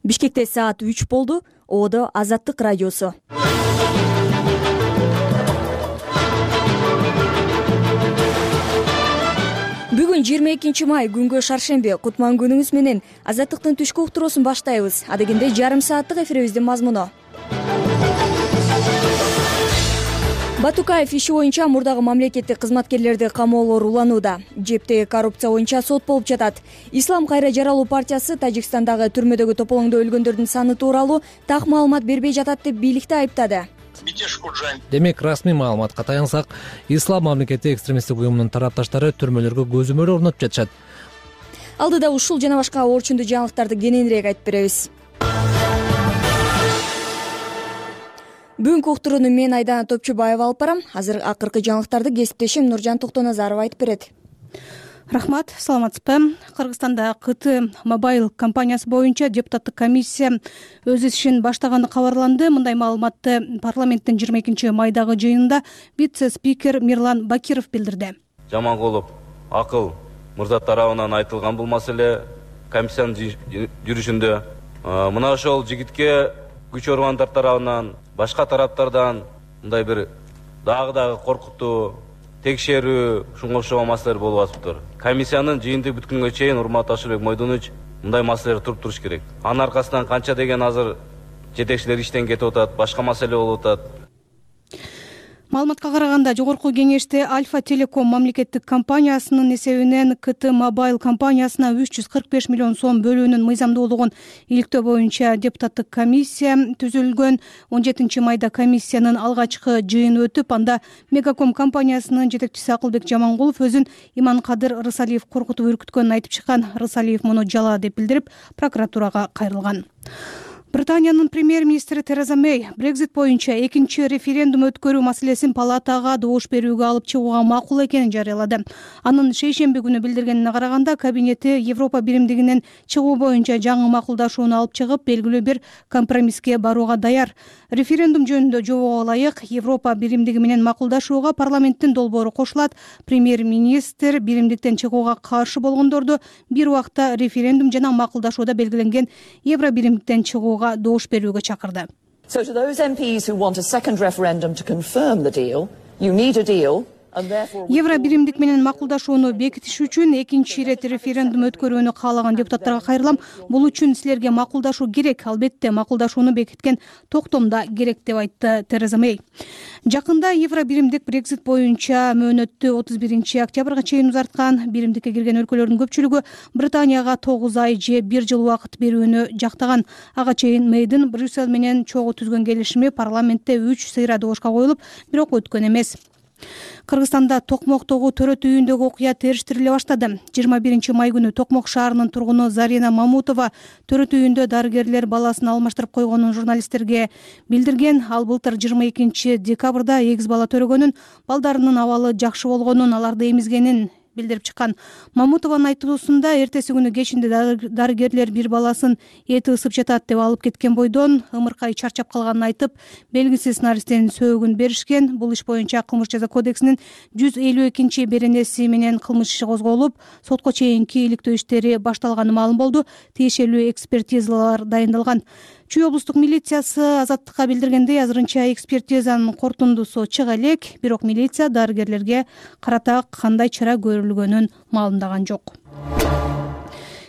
Бишкекте саат 3 болду. Одо Азаттык радиосу. Бүгүн 22 май күнгө шаршемби. Кутман күнүңүз менен Азаттыктын түшкү уктуруусун баштайбыз. Адегенде жарым сааттык эфирибиздин мазмуну. Батукаев иши боюнча мурдагы мамлекеттик кызматкерлерди камоолор уланууда. Жептеги коррупция боюнча сот болуп жатат. Ислам кайра жаралуу партиясы Тажикстандагы түрмөдөгү тополоңдо өлгөндөрдүн саны тууралуу так маалымат бербей жатат деп бийликти айыптады. Демек, расмий маалыматка таянсак, Ислам мамлекеттик экстремисттик уюмунун тарапташтары түрмөлөргө көзөмөл орнотуп жатышат. Алдыда ушул жана башка орчундуу жаңылыктарды кененирээк айтып беребиз. Бүгүнкү уктурууну мен Айдана Топчубаева алып барам. Азыр акыркы жаңылыктарды кесиптешим Нуржан Токтоназарова айтып берет. Рахмат, саламатсызбы. Кыргызстанда КТ Мобайл компаниясы боюнча депутаттык комиссия өз ишин баштаганы кабарланды. Мындай маалыматты парламенттин 22 майдагы жыйынында вице-спикер Мирлан Бакиров билдирди. Жамангулов Акыл мырза тарабынан айтылган бул маселе комиссиянын жүрүшүндө мына ошол жигитке күч органдар тарабынан, башка тараптардан мындай бир дагы коркутуу, текшерүү, ушунга окшогон маселелер болуп атыптыр. Комиссиянын жыйынтыгы бүткөнгө чейин урматтуу Ашырбек Мойдонович мындай маселелер туруп туруш керек. Анын аркасынан канча деген азыр жетекчилер иштен кетип атат, башка маселе болуп атат. Маалыматка караганда, жогорку кеңеште Альфа Телеком мамлекеттик компаниясынын эсебинен КТ Мобайл компаниясына 345 миллион сом бөлүүнүн мыйзамдуулугун иликтөө боюнча депутаттык комиссия түзүлгөн. 17 майда комиссиянын алгачкы жыйыны өтүп, анда Мегаком компаниясынын жетекчиси Акылбек Жамангулов өзүн Иманкадыр Рысалиев коркутуп үркүткөнүн айтып чыккан. Рысалиев муну жала деп билдирип, прокуратурага кайрылган. Британиянын премьер-министри Тереза Мэй Брекзит боюнча экинчи референдум өткөрүү маселесин палатага добуш берүүгө алып чыгууга макул экенин жарыялады. Анын шейшемби күнү билдиргенине караганда, кабинети Европа биримдигинен чыгуу боюнча жаңы макулдашууну алып чыгып, белгилүү бир компромисске барууга даяр. Референдум жөнүндө жобого ылайык Европа биримдиги менен макулдашууга парламенттин долбоору кошулат. Премьер-министр биримдиктен чыгууга каршы болгондорду бир убакта референдум жана макулдашууда белгиленген Евро биримдиктен чыгууга добуш берүүгө чакырды. So to those MPs who want a second referendum to confirm the deal, you need a deal. Евро биримдик менен макулдашууну бекитиш үчүн экинчи ирет референдум өткөрүүнү каалаган депутаттарга кайрылам. Бул үчүн силерге макулдашуу керек. Албетте, макулдашууну бекиткен токтомда керек деп айтты Тереза Мэй. Жакында Евро биримдик Брекзит боюнча мөөнөттү 31 октябрга чейин узарткан. Биримдикке кирген өлкөлөрдүн көпчүлүгү Британияга 9 ай же 1 жыл убакыт берүүнү жактаган. Ага чейин Мэйдин Брюссель менен чогуу түзгөн келишими парламентте 3 сыйра добушка коюлуп, бирок өткөн эмес. Кыргызстанда Токмоктогу төрөт үйүндөгү окуя териштириле баштады. 21 май күнү Токмок шаарынын тургуну Зарина Мамутова төрөт үйүндө дарыгерлер баласын алмаштырып койгонун журналисттерге билдирген. Ал былтыр 22 декабрда эгиз бала төрөгөнүн, балдарынын абалы жакшы болгонун, аларды эмизгенин билдирип чыккан. Мамутованын айтуусунда эртеси күнү кечинде дарыгерлер бир баласын эти ысып жатат деп алып кеткен бойдон ымыркай чарчап калганын айтып, белгисиз наристенин сөөгүн беришкен. Бул иш боюнча Кылмыш жаза кодексинин 152 беренеси менен кылмыш иши козголуп, сотко чейинки иликтөө иштери башталганы маалым болду. Тиешелүү экспертизалар дайындалган. Чүй облустук милициясы Азаттыкка билдиргендей, азырынча экспертизанын корутундусу чыга элек, бирок милиция дарыгерлерге карата кандай чара көрүлгөнүн маалымдаган жок.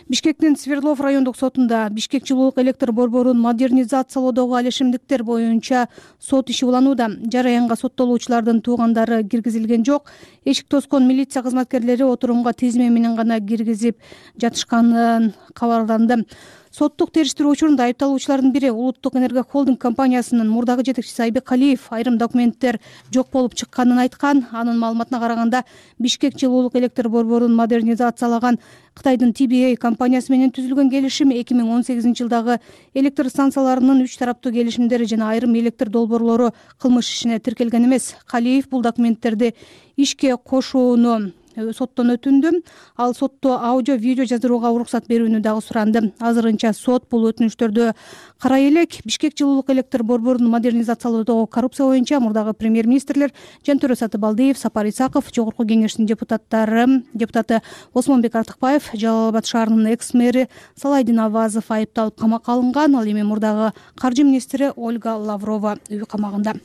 Бишкектин Свердлов райондук сотунда Бишкек жылуулук электр борборун модернизациялоодогу алишимдиктер боюнча сот иши уланууда. Жараянга соттолуучулардын туугандары киргизилген жок. Эшик тоскон милиция кызматкерлери отурумга тизме менен гана киргизип жатышканын кабарланды. Соттук териштирүү учурунда айыпталуучулардын бири Улуттук энерго холдинг компаниясынын мурдагы жетекчиси Айбек Калиев айрым документтер жок болуп чыкканын айткан. Анын маалыматына караганда, Бишкек жылуулук электр борборун модернизациялаган Кытайдын TBA компаниясы менен түзүлгөн келишим 2018 жылдагы электр станцияларынын 3 тараптуу келишимдери жана айрым электр долбоорлору кылмыш ишине тиркелген эмес. Калиев бул документтерди ишке кошууну соттон өтүндү. Ал сотто аудио видео жаздырууга уруксат берүүнү дагы суранды. Азырынча сот бул өтүнүштөрдү карай элек. Бишкек жылуулук электр борборун модернизациялоодогу коррупция боюнча мурдагы премьер-министрлер Жантөре Сатыбалдиев, Сапар Исаков, Жогорку Кеңештин депутаты Осмонбек Артыкбаев, Жалал Абад шаарынын экс-мэри Салайдин Авазов айыпталып камакка алынган. Ал эми мурдагы каржы министри Ольга Лаврова үй камагында.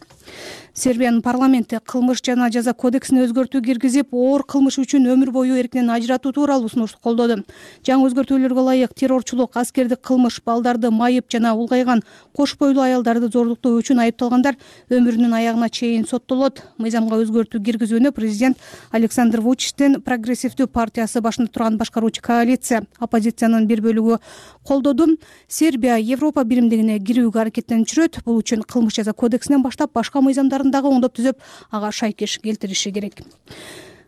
Сербиянын парламенти кылмыш жана жаза кодексине өзгөртүү киргизип, оор кылмыш үчүн өмүр бою эрктен ажыратуу тууралуу сунушту колдоду. Жаңы өзгөртүүлөргө ылайык террорчулук, аскердик кылмыш, балдарды майып жана улгайган кош бойлуу аялдарды зордуктоо үчүн айыпталгандар өмүрүнүн аягына чейин соттолот. Мыйзамга өзгөртүү киргизүүнү президент Александр Вучичтин прогрессивдүү партиясы башында турган башкаруучу коалиция, оппозициянын бир бөлүгү колдоду. Сербия Европа биримдигине кирүүгө аракеттенип жүрөт. Бул үчүн кылмыш жаза кодексинен баштап башка мыйзамдарын дагы оңдоп түзүп, ага шайкеш келтириши керек.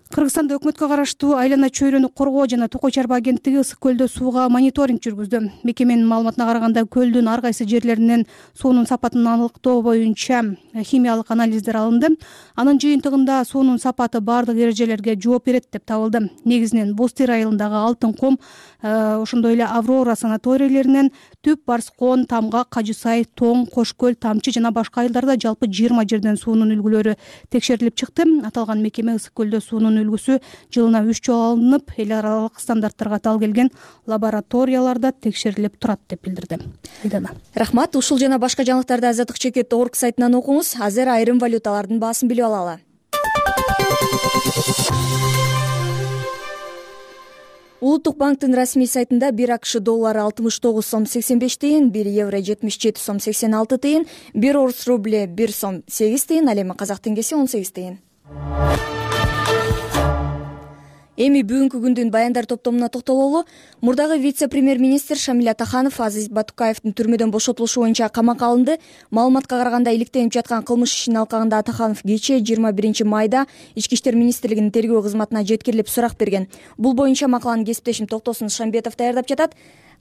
Кыргызстанда өкмөткө караштуу айлана чөйрөнү коргоо жана Токой Чарба агенттиги Ысык көлдө сууга мониторинг жүргүздү. Мекеменин маалыматына караганда, көлдүн ар кайсы жерлеринен суунун сапатын аныктоо боюнча химиялык анализдер алынды. Анын жыйынтыгында суунун сапаты бардык эрежелерге жооп берет деп табылды. Негизинен Бостер айылындагы Алтын ком, ошондой эле Аврора санаторийлеринен Түп, Барскон, Тамгак, Кажы Сай, Тоң, Кош көл, Тамчы жана башка айылдарда жалпы 20 жерден суунун үлгүлөрү текшерилип чыкты. Аталган мекеме Ысык көлдө суунун үлгүсү жылына 3 жолу алынып, эл аралык стандарттарга тал келген лабораторияларда текшерилип турат деп билдирди. Рахмат. Ушул жана башка жаңылыктарды azatdikcheket.org сайтынан окуңуз. Азыр айрым валюталардын баасын билип алалы. Улуттук банктын расмий сайтында 1 АКШ доллары 69 сом 85 тыйын, 1 евро 77 сом 86 тыйын, 1 орус рубле 1 сом 8 тыйын, ал эми казак теңгеси 18 тыйын. Эми бүгүнкү күндүн баяндар топтомуна токтололу. Мурдагы вице-премьер-министр Шамиль Атаханов Азиз Батукаевдин түрмөдөн бошотулушу боюнча камакка алынды. Маалыматка караганда, иликтенип жаткан кылмыш ишин алкагында Атаханов кечээ 21 майда Ички иштер министрлигинин тергөө кызматына жеткирилип сурак берген. Бул боюнча макаланы кесиптешим Токтосун Шамбетов даярдап жатат.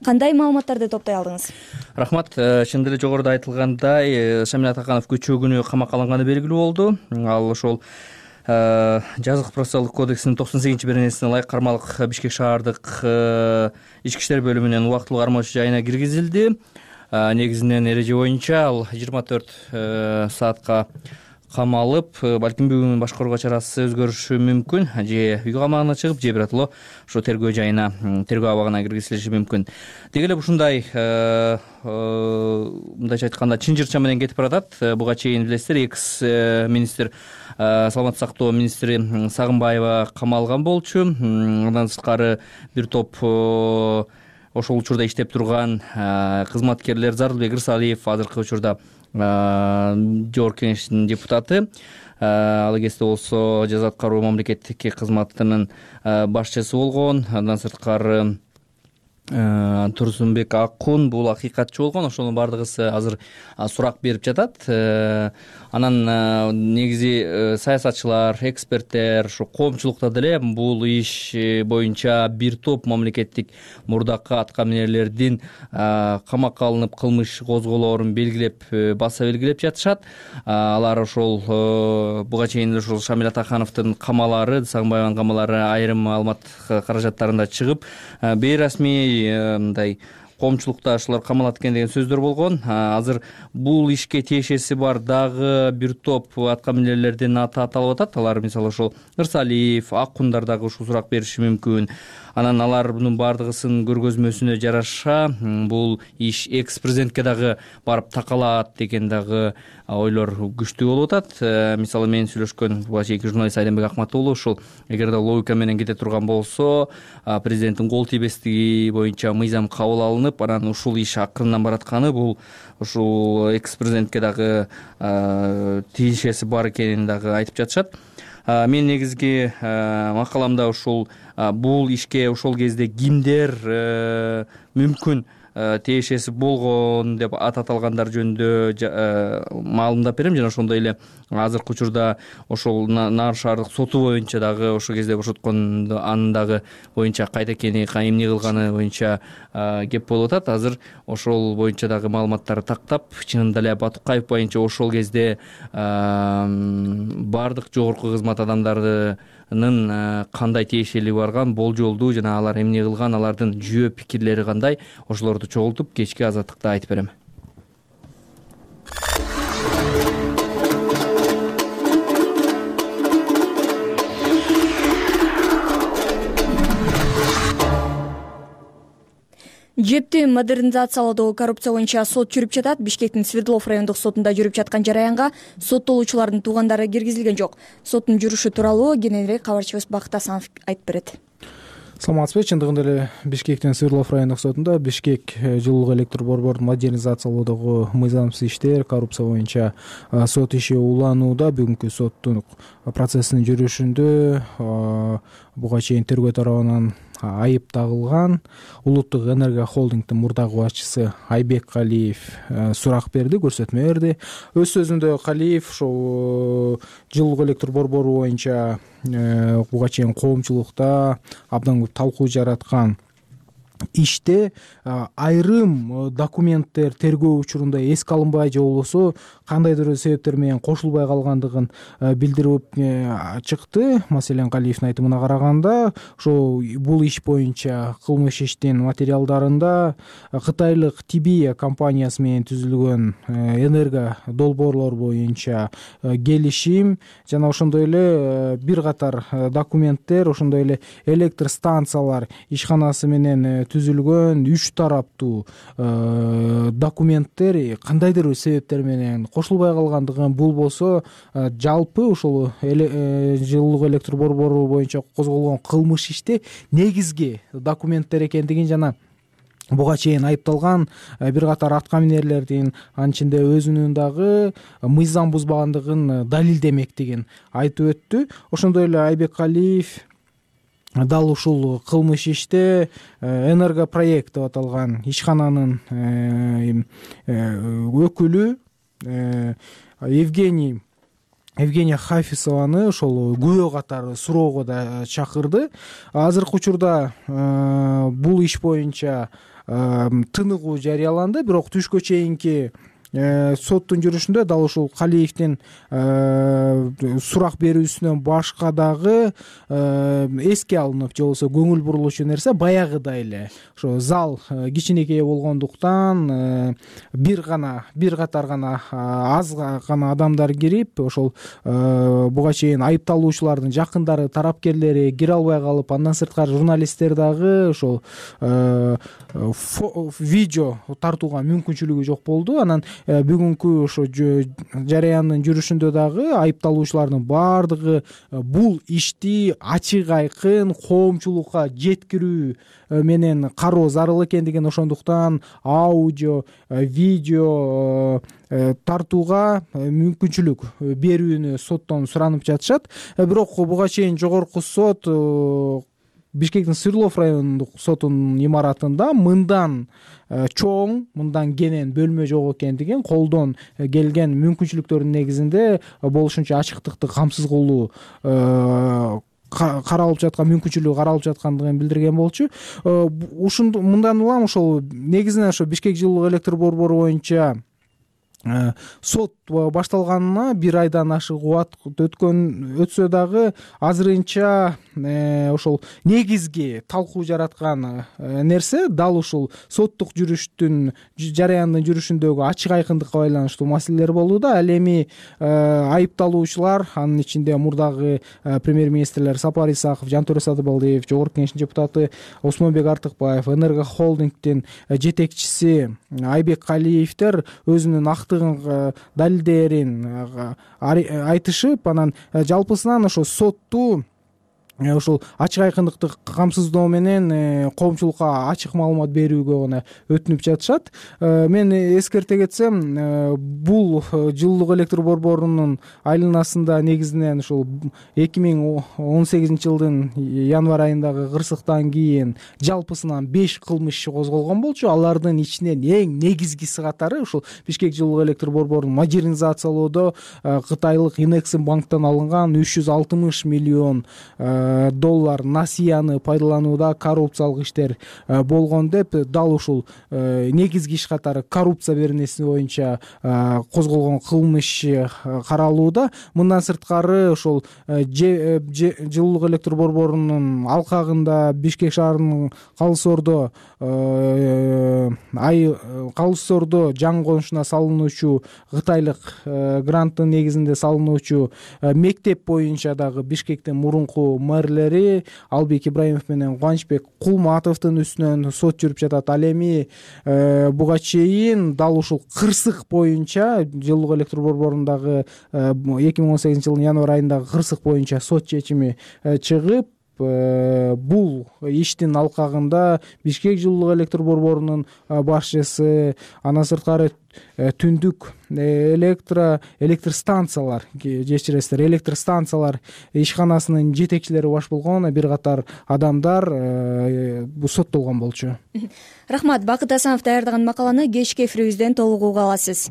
Кандай маалыматтарды топтой алдыңыз? Рахмат. Чын эле жогоруда айтылгандай, Шамиль Атаханов кечээ күнү камакка алынганы белгилүү болду. Ал ошол жазык процессуалдык кодексинин 98-беренесине ылайык кармалык Бишкек шаардык ички иштер бөлүмүнүн убактылуу кармоочу жайына киргизилди. Негизинен эреже боюнча ал 24 саатка камалып, балким бүгүн башкарууга чарасы өзгөрүшү мүмкүн, же үй камагына чыгып, же биротоло ошо тергөө жайына, тергөө абагына киргизилиши мүмкүн. Деги эле ушундай мындайча айтканда чын жырча менен кетип баратат. Буга чейин билесиздер, экс-министр, саламаттык сактоо министри Сагынбаева камалган болчу. Андан сырткары бир топ ошол учурда иштеп турган кызматкерлер, Зарылбек Ырсалиев азыркы учурда Жогорку Кеңештин депутаты, ал кезде болсо жаза аткаруу мамлекеттик кызматынын башчысы болгон. Андан сырткары Турсунбек Акун бул акыйкатчы болгон. Ошонун бардыгысы азыр сурак берип жатат. Анан негизи саясатчылар, эксперттер, ушу коомчулукта деле бул иш боюнча бир топ мамлекеттик мурдакы аткаминерлердин камакка алынып кылмыш козголоорун белгилеп, баса белгилеп жатышат. Алар ошол буга чейин ошол Шамиль Атахановдун камалары, Сагынбаевдин камалары айрым маалымат каражаттарында чыгып, бейрасмий мындай коомчулукта ушулар камалат экен деген сөздөр болгон. Азыр бул ишке тиешеси бар дагы бир топ аткаминерлердин аты аталып атат. Алар мисалы ошол Ырсалиев, Акундар дагы ушул сурак бериши мүмкүн. Анан алардын бардыгысынын көргөзмөсүнө жараша бул иш экс-президентке дагы барып такалат деген дагы ойлор күчтүү болуп атат. Мисалы мен сүйлөшкөн буга чейинки журналист Айденбек Акмат уулу ушул эгерде логика менен кете турган болсо, президенттин кол тийбестиги боюнча мыйзам кабыл алынып, анан ушул иш акырындан баратканы бул ушул экс-президентке дагы тиешеси бар экенин дагы айтып жатышат. Мен негизги макаламда ушул бул ишке ошол кезде кимдер мүмкүн тиешеси болгон деп ат аталгандар жөнүндө маалымдап берем. Жана ошондой эле азыркы учурда ошол Наар шаардык соту боюнча дагы ошол кезде бошоткон анын дагы боюнча кайда экени, эмне кылганы боюнча кеп болуп атат. Азыр ошол боюнча дагы маалыматтар тактап, чынында эле Батукаев боюнча ошол кезде бардык жогорку кызмат адамдары кандай тиешелиги барган, болжолдуу жана алар эмне кылган, алардын жүйө пикирлери кандай, ошолорду чогултуп кечки азаттыкта айтып берем. Жепти модернизациялоодогу коррупция боюнча сот жүрүп жатат. Бишкектин Свердлов райондук сотунда жүрүп жаткан жараянга соттолуучулардын туугандары киргизилген жок. Соттун жүрүшү тууралуу кененирээк кабарчыбыз Бакыт Асанов айтып берет. Саламатсызбы. Чындыгында эле Бишкектин Свердлов райондук сотунда Бишкек жылуулук электр борборун модернизациялоодогу мыйзамсыз иштер, коррупция боюнча сот иши уланууда. Бүгүнкү соттун процессинин жүрүшүндө буга чейин тергөө тарабынан айып тагылган Улуттук энергия холдингдин мурдагы башчысы Айбек Калиев сурак берди, көрсөтмө берди. Өз сөзүндө Калиев ошол жылуулук электр борбору боюнча буга чейин коомчулукта абдан көп талкуу жараткан иште айрым документтер тергөө учурунда эске алынбай же болбосо кандайдыр бир себептер менен кошулбай калгандыгын билдирип чыкты. Маселен, Калиевдин айтымына караганда, ошо бул иш боюнча кылмыш иштин материалдарында кытайлык Тибия компаниясы менен түзүлгөн энерго долбоорлор боюнча келишим жана ошондой эле бир катар документтер, ошондой эле электр станциялар ишканасы менен түзүлгөн 3 тараптуу документтер кандайдыр бир себептер менен кошулбай калгандыгын, бул болсо жалпы ушул жылуулук электр борбору боюнча козголгон кылмыш иште негизги документтер экендигин жана буга чейин айыпталган бир катар атка минерлердин анын ичинде өзүнүн дагы мыйзам бузбагандыгын далилдемектигин айтып өттү. Ошондой эле Айбек Калиев дал ушул кылмыш иште энергопроект деп аталган ишкананын өкүлү Евгения Хафисованы ошол күбө катары суроого да чакырды. Азыркы учурда бул иш боюнча тыныгуу жарыяланды, бирок түшкө чейинки соттун жүрүшүндө дал ушул Калиевдин сурак берүүсүнөн башка дагы эске алынып же болбосо көңүл бурулуучу нерсе баягыдай эле ошо зал кичинекей болгондуктан бир катар гана аз гана адамдар кирип, ошол буга чейин айыпталуучулардын жакындары, тарапкерлери кире албай калып, андан сырткары журналисттер дагы ошол видео тартууга мүмкүнчүлүгү жок болду. Анан бүгүнкү ошо жараяндын жүрүшүндө дагы айыпталуучулардын баардыгы бул ишти ачык айкын коомчулукка жеткирүү менен кароо зарыл экендигин, ошондуктан аудио, видео тартууга мүмкүнчүлүк берүүнү соттон суранып жатышат. Бирок буга чейин жогорку сот Бишкектин Свердлов райондук сотунун имаратында мындан чоң, мындан кенен бөлмө жок экендигин, колдон келген мүмкүнчүлүктөрдүн негизинде болушунча ачыктыкты камсыз кылуу каралып жаткан, мүмкүнчүлүгү каралып жаткандыгын билдирген болчу. Мындан улам ошол негизинен ошо Бишкек жылуулук электр борбору боюнча сот башталганына 1 айдан ашык убакыт өтсө дагы азырынча ошол негизги талкуу жараткан нерсе дал ушул соттук жүрүштүн жараяндын жүрүшүндөгү ачык айкындыкка байланыштуу маселелер болууда. Ал эми айыпталуучулар, анын ичинде мурдагы премьер-министрлер Сапар Исаков, Жантөре Садыбалдиев, жогорку кеңештин депутаты Осмонбек Артыкбаев, энерго холдингдин жетекчиси Айбек Калиевдер өзүнүн актыгын далилдерин айтышып, анан жалпысынан ошо сотту ошол ачык айкындыкты камсыздоо менен коомчулукка ачык маалымат берүүгө гана өтүнүп жатышат. Мен эскерте кетсем, бул жылуулук электр борборунун айланасында негизинен ушул 2018 жылдын январь айындагы кырсыктан кийин жалпысынан 5 кылмыш иши козголгон болчу. Алардын ичинен эң негизгиси катары ушул Бишкек жылуулук электр борборун модернизациялоодо кытайлык Инексим банктан алынган 360 миллион доллар насыяны пайдаланууда коррупциялык иштер болгон деп дал ушул негизги иш катары коррупция беренеси боюнча козголгон кылмыш каралууда. Мындан сырткары ошол жылуулук электр борборунун алкагында Бишкек шаарынын Калыс Ордо жаңы конушуна салынуучу кытайлык гранттын негизинде салынуучу мектеп боюнча дагы Бишкектин мурунку мэрлери Албек Ибраимов менен Кубанычбек Кулматовдун үстүнөн сот жүрүп жатат. Ал эми буга чейин дал ушул кырсык боюнча жылуулук электр борборундагы 2018 жылдын январь айындагы кырсык боюнча сот чечими чыгып, бул иштин алкагында Бишкек жылуулук электр борборунун башчысы, андан сырткары түндүк электр станциялар, кечиресиздер, электр станциялар ишканасынын жетекчилери баш болгон бир катар адамдар соттолгон болчу. Рахмат. Бакыт Асанов даярдаган макаланы кечки эфирибизден толук уга аласыз.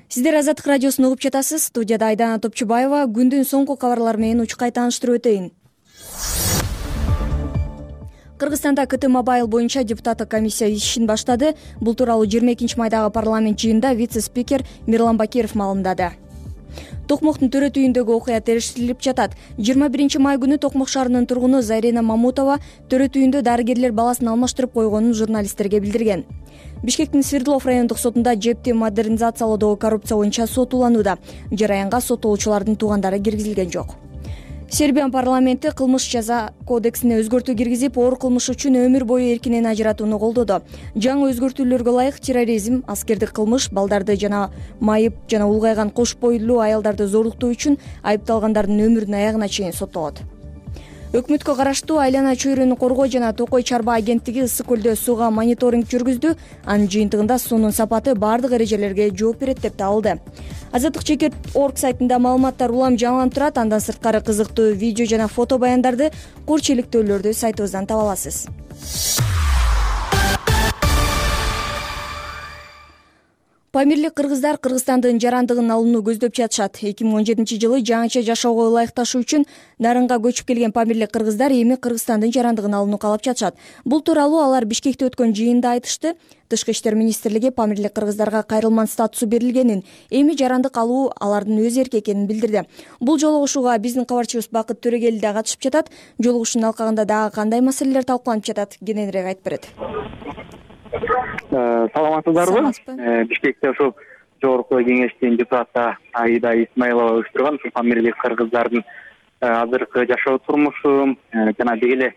Сиздер Азаттык радиосун угуп жатасыз. Студияда Айдана Топчубаева. Күндүн соңку кабарлары менен учкай тааныштырып өтөйүн. Кыргызстанда КТ Мобайл боюнча депутаттык комиссия ишин баштады. Бул тууралуу 22 майдагы парламент жыйынында вице-спикер Мирлан Бакиров маалымдады. Токмоктун төрөт үйүндөгү окуя териштирилип жатат. 21 май күнү Токмок шаарынын тургуну Зарина Мамутова төрөт үйүндө дарыгерлер баласын алмаштырып койгонун журналисттерге билдирген. Бишкектин Свердлов райондук сотунда жепти модернизациялоодогу коррупция боюнча сот уланууда. Жараянга соттолуучулардын туугандары киргизилген жок. Сербиянын парламенти кылмыш жаза кодексине өзгөртүү киргизип, оор кылмыш үчүн өмүр бою эркинен ажыратууну колдоду. Жаңы өзгөртүүлөргө ылайык терроризм, аскердик кылмыш, балдарды жана майып жана улгайган кош бойлуу аялдарды зорлуктоо үчүн айыпталгандардын өмүрүнүн аягына чейин соттолот. Өкмөткө караштуу Айлана чөйрөнү коргоо жана Токой чарба агенттиги ысык көлдө сууга мониторинг жүргүздү. Анын жыйынтыгында суунун сапаты бардык эрежелерге жооп берет деп табылды. Азаттык чекит орг сайтында маалыматтар улам жаңыланып турат. Андан сырткары кызыктуу видео жана фото баяндарды, курч иликтөөлөрдү сайтыбыздан таба аласыз. Памирлик кыргыздар Кыргызстандын жарандыгын алууну көздөп жатышат. 2017 жылы жаңыча жашоого ылайыкташуу үчүн Нарынга көчүп келген памирлик кыргыздар эми Кыргызстандын жарандыгын алууну каалап жатышат. Бул тууралуу алар Бишкекте өткөн жыйында айтышты. Тышкы иштер министрлиги памирлик кыргыздарга кайрылман статусу берилгенин, эми жарандык алуу алардын өз эрки экенин билдирди. Бул жолугушууга биздин кабарчыбыз Бакыт Төрөгели да катышып жатат. Жолугушуунун алкагында дагы кандай маселелер талкууланып жатат? Кененирээк айтып берет. Саламатсыздарбы? Бишкекте ушул жогорку кеңештин депутаты Аида Исмаилова уюштурган ушул памирлик кыргыздардын азыркы жашоо турмушу жана деги эле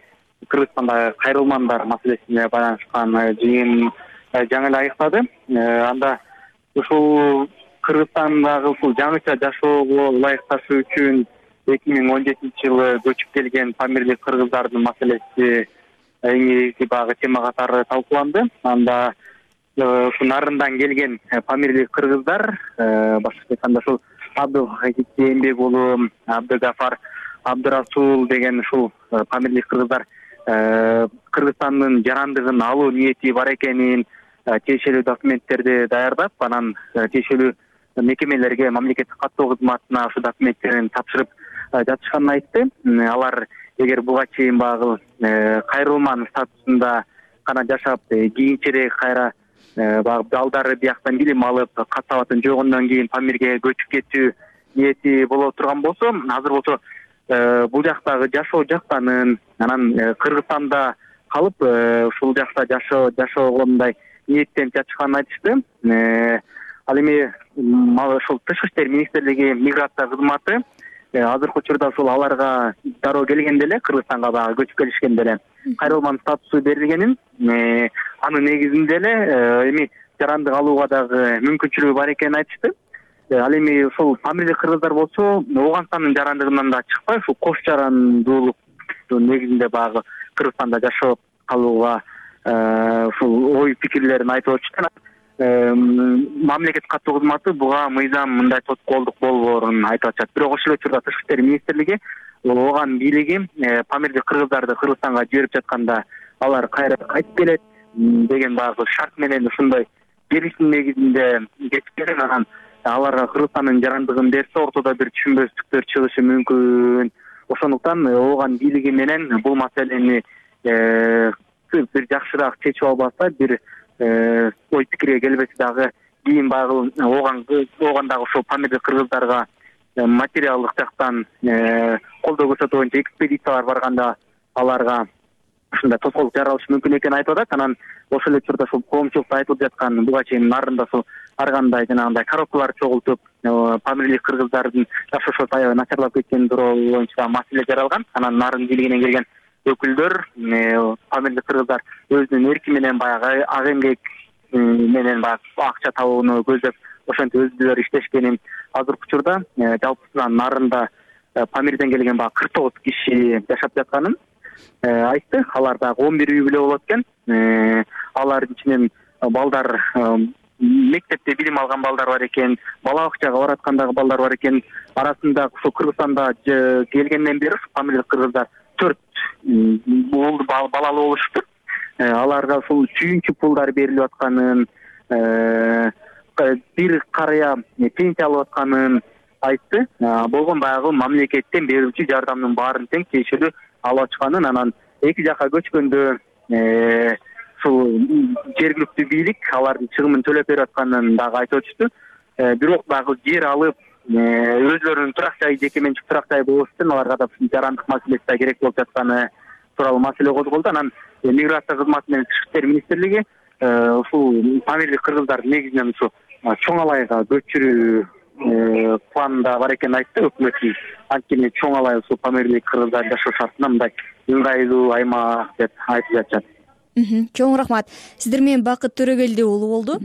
Кыргызстандагы кайрылмандар маселесине байланышкан жыйын жаңы эле аяктады. Анда ушул Кыргызстандагы ушул жаңыча жашоого ылайыкташуу үчүн 2017 жылы көчүп келген памирлик кыргыздардын маселеси эң негизги багы тема катары талкууланды. Анда ушу Нарындан келген памирлик кыргыздар, башкача айтканда ушул Абдылхакик Эмбек уулу, Абдыгафар Абдырасул деген ушул памирлик кыргыздар Кыргызстандын жарандыгын алуу ниети бар экенин, тиешелүү документтерди даярдап, анан тиешелүү мекемелерге, мамлекеттик каттоо кызматына ошол документтерин тапшырып жатышканын айтты. Алар эгер буга чейин багы кайрылман статусунда гана жашап, кийинчерээк кайра багы балдары бияктан билим алып, кат сабатын жойгондон кийин Памирге көчүп кетүү ниети боло турган болсо, азыр болсо бул жактагы жашоо жактанын, анан Кыргызстанда калып ушул жакта жашоого мындай ниеттенип жатышканын айтышты. Ал эми ушул Тышкы иштер министрлиги миграция кызматы азыркы учурда ушул аларга дароо келгенде эле, Кыргызстанга багы көчүп келишкенде эле кайрылман статусу берилгенин, анын негизинде эле эми жарандык алууга дагы мүмкүнчүлүгү бар экенин айтышты. Ал эми ушул памирлик кыргыздар болсо, Ооганстандын жарандыгынан да чыкпай, ушул кош жарандуулуктун негизинде багы Кыргызстанда жашап калууга ушул ой пикирлерин айтып өтүштү. Мамлекеттик каттоо кызматы буга мыйзам мындай тоскоолдук болбоорун айтып атышат. Бирок ошол эле учурда Тышкы иштер министрлиги, ооган бийлиги памирлик кыргыздарды Кыргызстанга жиберип жатканда алар кайра кайтып келет деген багы шарт менен ушундай келишим негизинде кетип келген. Анан аларга Кыргызстандын жарандыгын берсе, ортодо бир түшүнбөстүктөр чыгышы мүмкүн. ошондуктан ооган бийлиги менен бул маселени бир жакшыраак чечип албаса, бир ой пикирге келбесе дагы кийин баягы оогандагы ошол памирлик кыргыздарга материалдык жактан колдоо көрсөтүү боюнча экспедициялар барганда аларга ушундай тоскоолдук жаралышы мүмкүн экенин айтып атат. Анан ошол эле учурда ушул коомчулукта айтылып жаткан буга чейин нарында ар кандай жанагындай коробкалар чогултуп памирлик кыргыздардын жашоошо аябай начарлап кеткени тууралуу боюнча маселе жаралган. Анан нарын бийлигинен келген өкүлдөр памирлик кыргыздар өзүнүн эрки менен баягы ак эмгек менен баягы акча табууну көздөп ошентип өздөрү иштешкенин, азыркы учурда жалпысынан нарында Памирден келген баягы 49 киши жашап жатканын айтты. Алар дагы 11 үй бүлө болот экен. Алардын ичинен балдар, мектепте билим алган балдар бар экен, бала бакчага бараткандагы балдар бар экен. Арасында ушул Кыргызстанда келгенден бери памирлик кыргыздар 4 балалуу болушуптур. Аларга ушул сүйүнчү пулдар берилип атканын, бир карыя пенсия алып атканын айтты. Болгон баягы мамлекеттен берүүчү жардамдын баарын тең тиешелүү алып ачканын, анан эки жака көчкөндө ушул жергиликтүү бийлик алардын чыгымын төлөп берип атканын дагы айтып өтүштү. Бирок дагы жер алып өзлөрүнүн турак жайы, жеке менчик турак жайы болуш үчүн аларга да жарандык маселеси да керек болуп жатканы тууралуу маселе козголду. Анан миграция кызматы менен Тышкы иштер министрлиги ушул памирлик кыргыздарды негизинен ушу чоң алайга көчүрүү планында бар экенин айтты өкмөттүн. Анткени чоң алай ушул памирлик кыргыздар жашоо шартына мындай ыңгайлуу аймак деп айтып жатышат. Чоң рахмат. Сиздер менен Бакыт Төрөгелди уулу болду.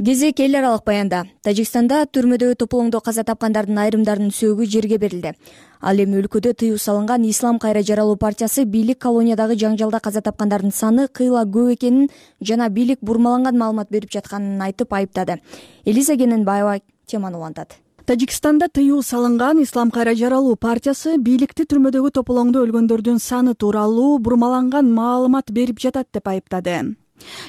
Кезек эл аралык баянда. Тажикстанда түрмөдөгү тополоңдо каза тапкандардын айрымдарынын сөөгү жерге берилди. Ал эми өлкөдө тыюу салынган Ислам кайра жаралуу партиясы бийлик колониядагы жаңжалда каза тапкандардын саны кыйла көп экенин жана бийлик бурмаланган маалымат берип жатканын айтып айыптады. Элиза Кененбаева теманы улантат. Тажикстанда тыюу салынган Ислам кайра жаралуу партиясы бийликти түрмөдөгү тополоңдо өлгөндөрдүн саны тууралуу бурмаланган маалымат берип жатат деп айыптады.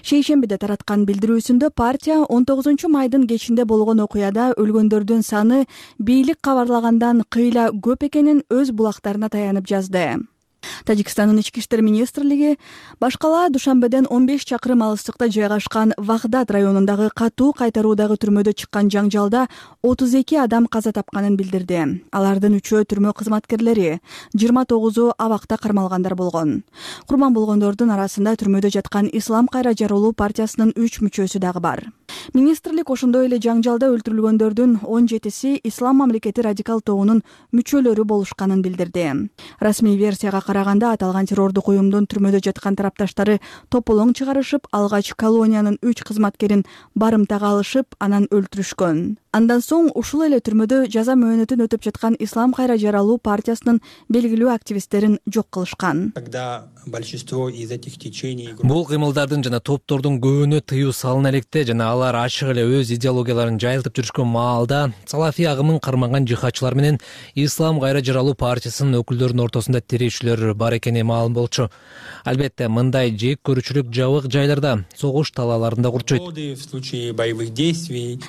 Шейшембиде тараткан билдирүүсүндө партия 19-майдын кечинде болгон окуяда өлгөндөрдүн саны бийлик кабарлагандан кыйла көп экенин өз булактарына таянып жазды. Тажикстандын ички иштер министрлиги башкала Душанбеден 15 чакырым алыстыкта жайгашкан Вагдат районундагы катуу кайтаруудагы түрмөдө чыккан жаңжалда 32 адам каза тапканын билдирди. Алардын 3-өө түрмө кызматкерлери, 29-у абакта кармалгандар болгон. Курман болгондордун арасында түрмөдө жаткан Ислам кайра жаралуу партиясынын 3 мүчөсү дагы бар. Министрлик ошондой эле жаңжалда өлтүрүлгөндөрдүн 17-си Ислам мамлекети радикал тобунун мүчөлөрү болушканын билдирди. Расмий версияга караганда аталган террордук уюмдун түрмөдө жаткан тарапташтары тополоң чыгарышып, алгач колониянын 3 кызматкерин барымтага алышып, анан өлтүрүшкөн. Андан соң ушул эле түрмөдө жаза мөөнөтүн өтүп жаткан Ислам кайра жаралуу партиясынын белгилүү активисттерин жок кылышкан. Бул кыймылдардын жана топтордун көбүнө тыюу салына электе жана алар ачык эле өз идеологияларын жайылтып жүрүшкөн маалда салафий агымын кармаган жихадчылар менен Ислам кайра жаралуу партиясынын өкүлдөрүнүн ортосунда тирешүүлөр бар экени маалым болчу. Албетте, мындай жек көрүүчүлүк жабык жайларда, согуш талааларында курчойт.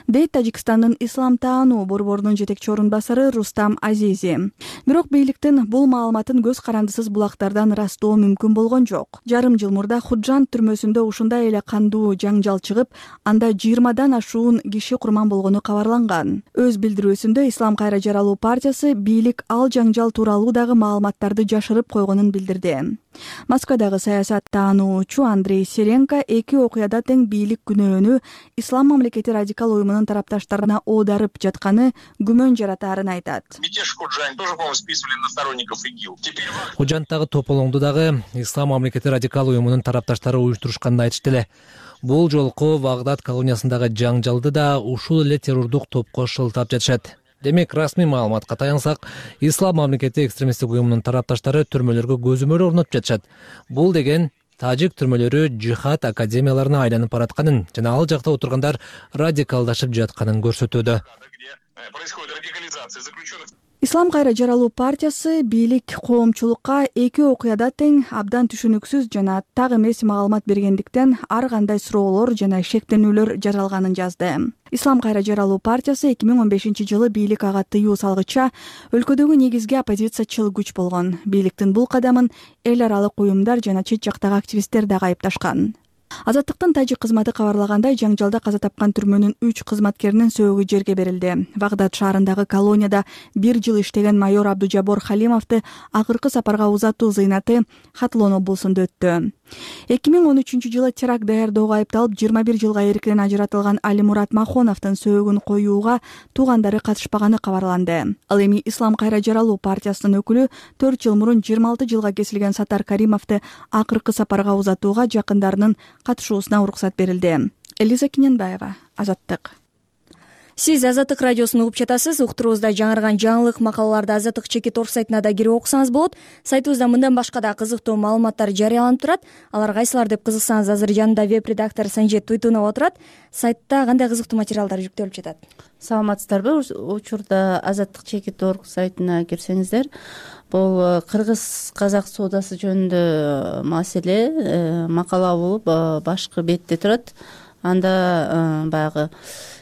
Дейт Тажикстандын ислам таануу борборунун жетекчи орун басары Рустам Азизи. Бирок бийликтин бул маалыматын көз карандысыз булактардан ырастоо мүмкүн болгон жок. Жарым жыл мурда Худжан түрмөсүндө ушундай эле кандуу жаңжал чыгып, анда 20дан ашуун киши курман болгону кабарланган. Өз билдирүүсүндө Ислам кайра жаралуу партиясы бийлик ал жаңжал тууралуу дагы маалыматтарды жашырып койгонун билдирди. Москвадагы саясат таануучу Андрей Серенко эки окуяда тең бийлик күнөөнү Ислам мамлекети радикал уюмунун тарапташтарына оодарып жатканы күмөн жаратаарын айтат. Худжандагы тополоңду дагы Ислам мамлекети радикал уюмунун тарапташтары уюштурушканын айтышты эле. Бул жолку Вагдат колониясындагы жаңжалды да ушул эле террордук топко шылтап жатышат. Демек, расмий маалыматка таянсак, Ислам мамлекети экстремисттик уюмунун тарапташтары түрмөлөргө көзөмөл орнотуп жатышат. Бул деген тажик түрмөлөрү жихад академияларына айланып баратканын жана ал жакта отургандар радикалдашып жатканын көрсөтүүдө. Ислам кайра жаралуу партиясы бийлик коомчулукка эки окуяда тең абдан түшүнүксүз жана так эмес маалымат бергендиктен ар кандай суроолор жана шектенүүлөр жаралганын жазды. Ислам кайра жаралуу партиясы 2015-жылы бийлик ага тыюу салгыча өлкөдөгү негизги оппозициячыл күч болгон. Бийликтин бул кадамын эл аралык уюмдар жана чет жактагы активисттер дагы айыпташкан. Азаттыктын тажик кызматы кабарлагандай, жаңжалда каза тапкан түрмөнүн 3 кызматкеринин сөөгү жерге берилди. Багдад шаарындагы колонияда 1 жыл иштеген майор Абдужабор Халимовду акыркы сапарга узатуу зыйнаты Хатлон облусунда өттү. 2013-жылы теракт даярдоого айыпталып 21 жылга эркинен ажыратылган Алимурат Махоновдун сөөгүн коюуга туугандары катышпаганы кабарланды. Ал эми Ислам кайра жаралуу партиясынын өкүлү 4 жыл мурун 26 жылга кесилген Сатар Каримовду акыркы сапарга узатууга жакындарынын катышуусуна уруксат берилди. Элиза Киненбаева, Азаттык. Сиз Азаттык радиосун угуп жатасыз. Уктуруубузда жаңырган жаңылык макалаларды Азаттык чекит орг сайтына да кирип окусаңыз болот. Сайтыбызда мындан башка да кызыктуу маалыматтар жарыяланып турат. Алар кайсылар деп кызыксаңыз, азыр жанында веб-редактор Санжет Туйтунов отурат. Сайтта кандай кызыктуу материалдар жүктөлүп жатат? Саламатсыздарбы? Учурда Азаттык чекит орг сайтына кирсеңиздер, бул кыргыз-казак соодасы жөнүндө маселе макала болуп башкы бетте турат. Анда баягы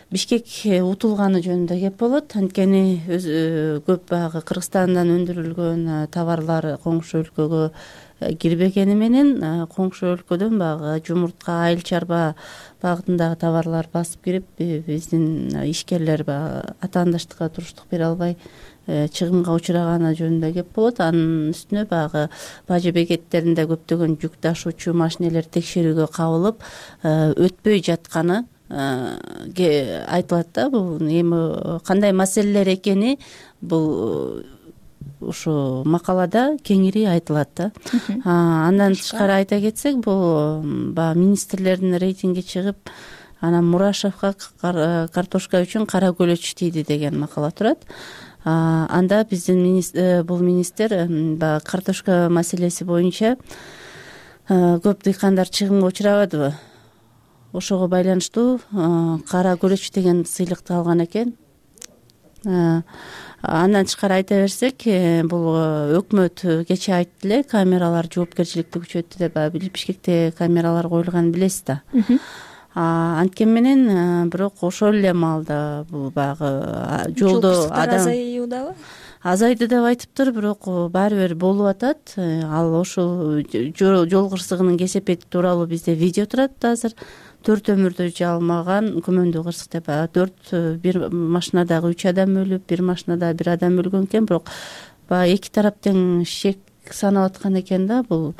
Бишкек утулганы жөнүндө кеп болот. Анткени көп баягы Кыргызстандан өндүрүлгөн товарлар коңшу өлкөгө кирбегени менен коңшу өлкөдөн баягы жумуртка, айыл чарба багытындагы товарлар басып кирип, биздин ишкерлер баягы атаандаштыкка туруштук бере албай чыгымга учураганы жөнүндө кеп болот. Анын үстүнө баягы бажы бекеттеринде көптөгөн жүк ташуучу машинелер текшерүүгө кабылып өтпөй жатканы айтылат да. Бул эми кандай маселелер экени бул ушу макалада кеңири айтылат да. Андан тышкары айта кетсек, бул баягы министрлердин рейтинги чыгып, анан Мурашевго картошка үчүн кара көлөч тийди деген макала турат. Анда биздин бул министр баягы картошка маселеси боюнча көп дыйкандар чыгымга учурабадыбы? Ошого байланыштуу кара көлөч деген сыйлыкты алган экен. Андан тышкары айта берсек, бул өкмөт кечээ айтты эле, камералар жоопкерчиликти күчөттү деп. Бишкекте камералар коюлганын билесиз да. Анткени менен бирок ошол эле маалда бул баягы жолдо адам азаюудабы? Азайды деп айтыптыр, бирок баары бир болуп атат. Ал ошол жол кырсыгынын кесепети тууралуу бизде видео турат азыр. 4 өмүрдө жалмаган күмөндүү кырсык деп. 4 бир машинадагы 3 адам өлүп, бир машинада бир адам өлгөн экен, бирок баягы эки тарап тең шек санап аткан экен да. Бул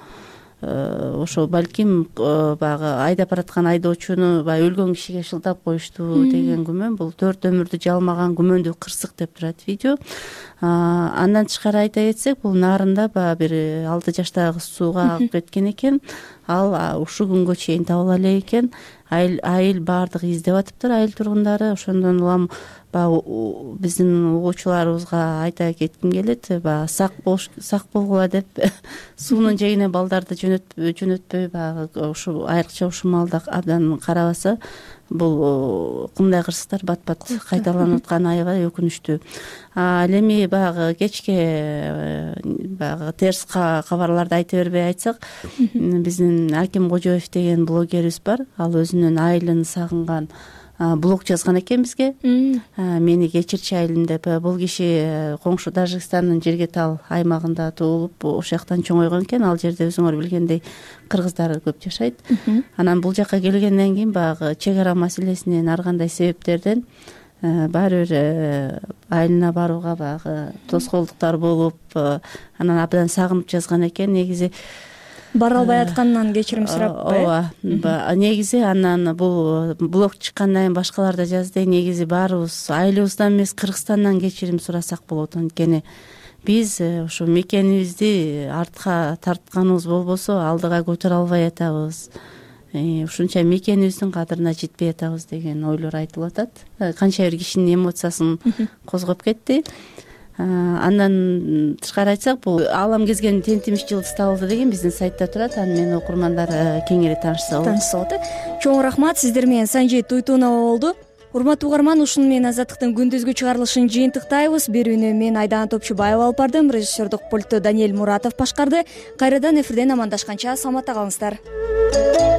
ошо балким баягы айдап бараткан айдоочуну баягы өлгөн кишиге шылтап коюшту деген күмөн. Бул 4 өмүрдү жалмаган күмөндүү кырсык деп турат видео. Андан тышкары айта кетсек, бул Нарында баягы бир 6 жаштагы кыз сууга агып кеткен экен. Ал ушул күнгө чейин табыла элек экен. Айыл баардыгы издеп атыптыр, айыл тургундары. Ошондон улам баягы биздин угуучуларыбызга айта кетким келет, баягы сак болгула деп суунун жээгине балдарды жөнөтпөй баягы ушу айрыкча ушул маалда абдан карабаса, бул мындай кырсыктар бат-бат кайталанып атканы аябай өкүнүчтүү. Ал эми баягы кечке баягы терс кабарларды айта бербей айтсак, биздин Аким Кожоев деген блогерибиз бар. Ал өзүнүн айылын сагынган блог жазган экен бизге. Мени кечирчи айылым деп. Бул киши коңшу Тажикстандын Жергетал аймагында туулуп, ошол жактан чоңойгон экен. Ал жерде өзүңөр билгендей кыргыздар көп жашайт. Анан бул жака келгенден кийин баягы чек ара маселесинен ар кандай себептерден баары бир айылына барууга баягы тоскоолдуктар болуп, анан абдан сагынып жазган экен. Негизи бара албай атканынан кечирим сурап ооба. Негизи анан бул блог чыккандан кийин башкалар да жазды. Негизи баарыбыз айылыбыздан эмес, Кыргызстандан кечирим сурасак болот. Анткени биз ушу мекенибизди артка тартканыбыз болбосо алдыга көтөрө албай атабыз. Ушунча мекенибиздин кадырына жетпей атабыз деген ойлор айтылып атат. Канча бир кишинин эмоциясын козгоп кетти. Андан тышкары айтсак, бул Аалам кезген тентимиш жылдыз табылды деген биздин сайтта турат. Аны менен окурмандар кеңири таанышса болот. Чоң рахмат. Сиздер менен Санжет Туйтунова болду. урматтуу угарман, ушуну менен Азаттыктын күндүзгү чыгарылышын жыйынтыктайбыз. Берүүнү мен Айдана Топчубаева алып бардым. Режиссердук пультту Даниэль Муратов башкарды. Кайрадан эфирден амандашканча саламатта калыңыздар.